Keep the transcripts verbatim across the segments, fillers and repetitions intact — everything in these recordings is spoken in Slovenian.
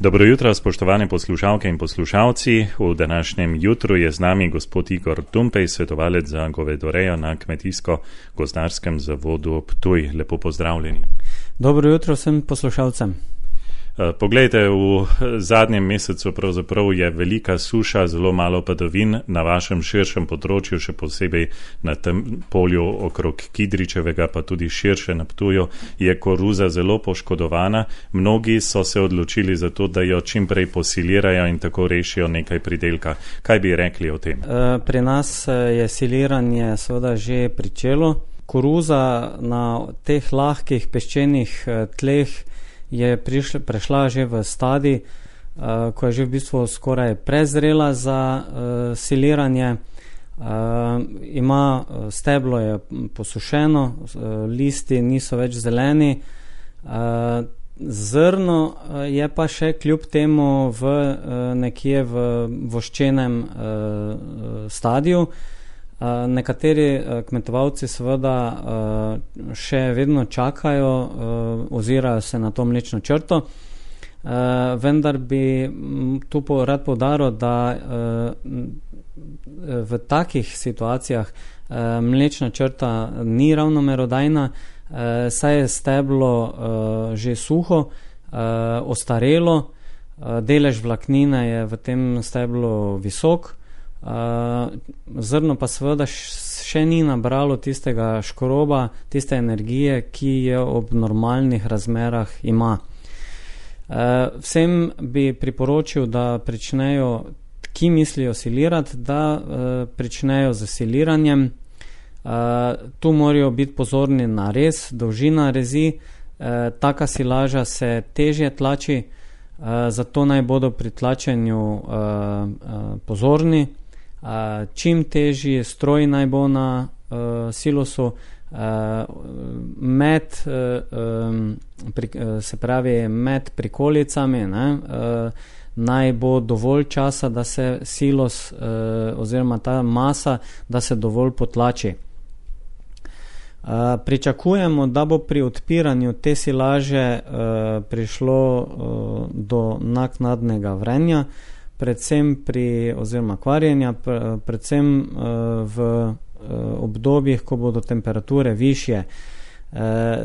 Dobro jutro, spoštovane poslušalke in poslušalci. V današnjem jutru je z nami gospod Igor Tumpej, svetovalec za govedorejo na Kmetijsko-gozdarskem zavodu Ptuj. Lepo pozdravljeni. Dobro jutro vsem poslušalcem. Poglejte, v zadnjem mesecu pravzaprav je velika suša, zelo malo padavin na vašem širšem področju, še posebej na tem polju okrog Kidričevega, pa tudi širše na Ptuju, je koruza zelo poškodovana. Mnogi so se odločili za to, da jo čim prej posilirajo in tako rešijo nekaj pridelka. Kaj bi rekli o tem? Pri nas je siliranje seveda že pričelo. Koruza na teh lahkih peščenih tleh je prišla, prešla že v stadij, uh, ko je že v bistvu skoraj prezrela za uh, siliranje. Uh, ima steblo je posušeno, uh, listi niso več zeleni. Uh, zrno uh, je pa še kljub temu v, uh, nekje v voščenem uh, stadiju. Uh, nekateri uh, kmetovalci seveda uh, še vedno čakajo, uh, ozirajo se na to mlečno črto, uh, vendar bi tu po, rad poudaril, da uh, v takih situacijah uh, mlečna črta ni ravno merodajna, uh, saj je steblo uh, že suho, uh, ostarelo, uh, delež vlaknine je v tem steblu visok. Uh, zrno pa seveda še ni nabralo tistega škroba, tiste energije, ki jo ob normalnih razmerah ima. Uh, vsem bi priporočil, da pričnejo, ki mislijo silirati, da uh, pričnejo z siliranjem. Uh, tu morajo biti pozorni na rez, dolžina rezi. Uh, taka silaža se težje tlači, uh, zato naj bodo pri tlačenju uh, uh, pozorni. Uh, čim težji stroj naj bo na uh, silosu, uh, med, uh, um, pri, uh, se pravi med prikolicami, ne, uh, naj bo dovolj časa, da se silos uh, oziroma ta masa, da se dovolj potlači. Uh, pričakujemo, da bo pri odpiranju te silaže uh, prišlo uh, do naknadnega vrenja, predvsem pri, oziroma kvarjenja, predvsem uh, v uh, obdobjih, ko bodo temperature višje. Uh,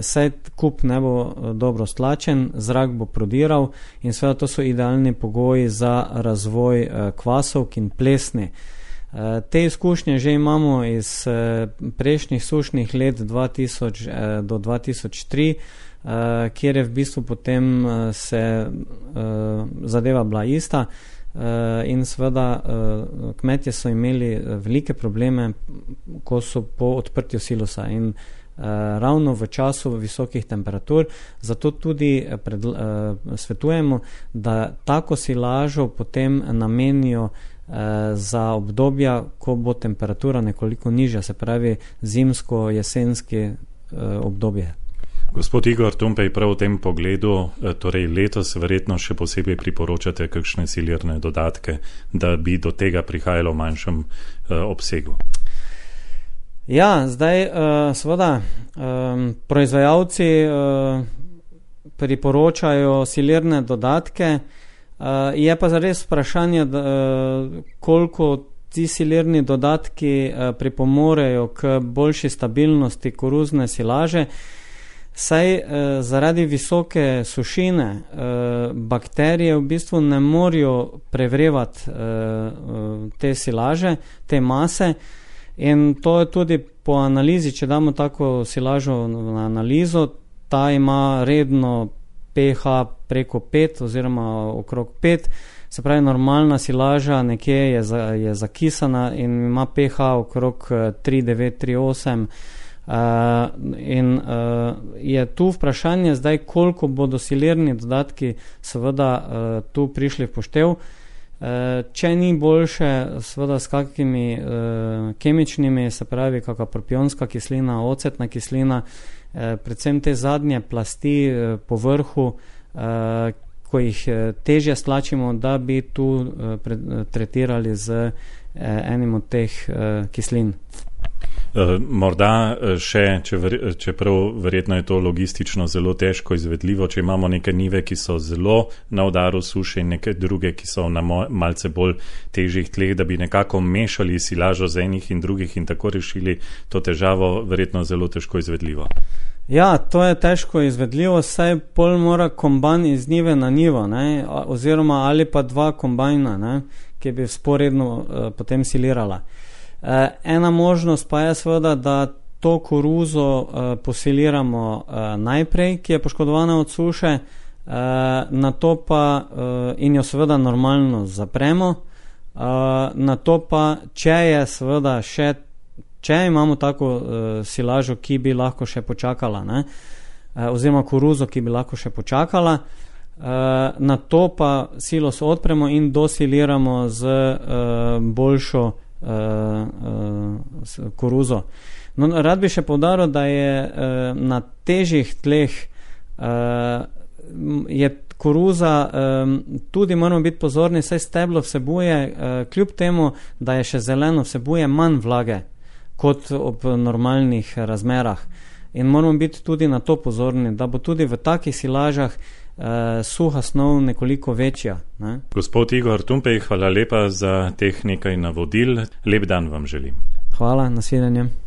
saj kup ne bo dobro stlačen, zrak bo prodiral in seveda to so idealni pogoji za razvoj uh, kvasovk in plesni. Uh, te izkušnje že imamo iz uh, prejšnjih sušnih let dva tisoč uh, do dva tisoč tri, uh, kjer je v bistvu potem uh, se uh, zadeva bila ista. Uh, in seveda uh, kmetje so imeli velike probleme, ko so po odprtju silosa in uh, ravno v času visokih temperatur, zato tudi pred, uh, svetujemo, da tako silažo potem namenijo uh, za obdobja, ko bo temperatura nekoliko nižja, se pravi zimsko-jesenski uh, obdobje. Gospod Igor Tumpej, prav v tem pogledu, torej letos verjetno še posebej priporočate kakšne silirne dodatke, da bi do tega prihajalo v manjšem uh, obsegu? Ja, zdaj uh, seveda um, proizvajalci uh, priporočajo silirne dodatke, uh, je pa zares vprašanje, da, uh, koliko ti silirni dodatki uh, pripomorejo k boljši stabilnosti koruzne silaže. Saj eh, zaradi visoke sušine eh, bakterije v bistvu ne morajo prevrevati eh, te silaže, te mase, in to je tudi po analizi, če damo tako silažo na analizo, ta ima redno pH preko pet oziroma okrog pet, se pravi normalna silaža nekje je, za, je zakisana in ima pH okrog tri devet tri osem. Uh, in uh, je tu vprašanje zdaj, koliko bodo silirni dodatki seveda uh, tu prišli v poštev. Uh, če ni boljše seveda s kakimi uh, kemičnimi, se pravi kakva propionska kislina, ocetna kislina, uh, predvsem te zadnje plasti uh, po vrhu, uh, ko jih uh, težje stlačimo, da bi tu uh, pre, uh, tretirali z uh, enim od teh uh, kislin. Morda še, če ver, čeprav verjetno je to logistično zelo težko izvedljivo, če imamo neke njive, ki so zelo na udaru suše in neke druge, ki so na malce bolj težjih tleh, da bi nekako mešali silažo z enih in drugih in tako rešili to težavo, verjetno zelo težko izvedljivo. Ja, to je težko izvedljivo, saj pol mora kombajn iz njive na njivo, ne, oziroma ali pa dva kombajna, ne, ki bi sporedno uh, potem silirala. Ena možnost pa je seveda, da to koruzo uh, posiliramo uh, najprej, ki je poškodovana od suše, uh, na to pa uh, in jo seveda normalno zapremo, uh, na to pa, če je seveda še, če imamo tako uh, silažo, ki bi lahko še počakala, ne, uh, oziroma koruzo, ki bi lahko še počakala, uh, na to pa silos odpremo in dosiliramo z uh, boljšo Uh, uh, koruzo. No, rad bi še poudaril, da je uh, na težjih tleh uh, je koruza, um, tudi moramo biti pozorni, saj steblo vsebuje, uh, kljub temu, da je še zeleno, vsebuje manj vlage kot ob normalnih razmerah. In moramo biti tudi na to pozorni, da bo tudi v takih silažah Uh, suha snov nekoliko večja. Ne? Gospod Igor Tumpej, hvala lepa za teh nekaj navodil. Lep dan vam želim. Hvala, nasvidenje.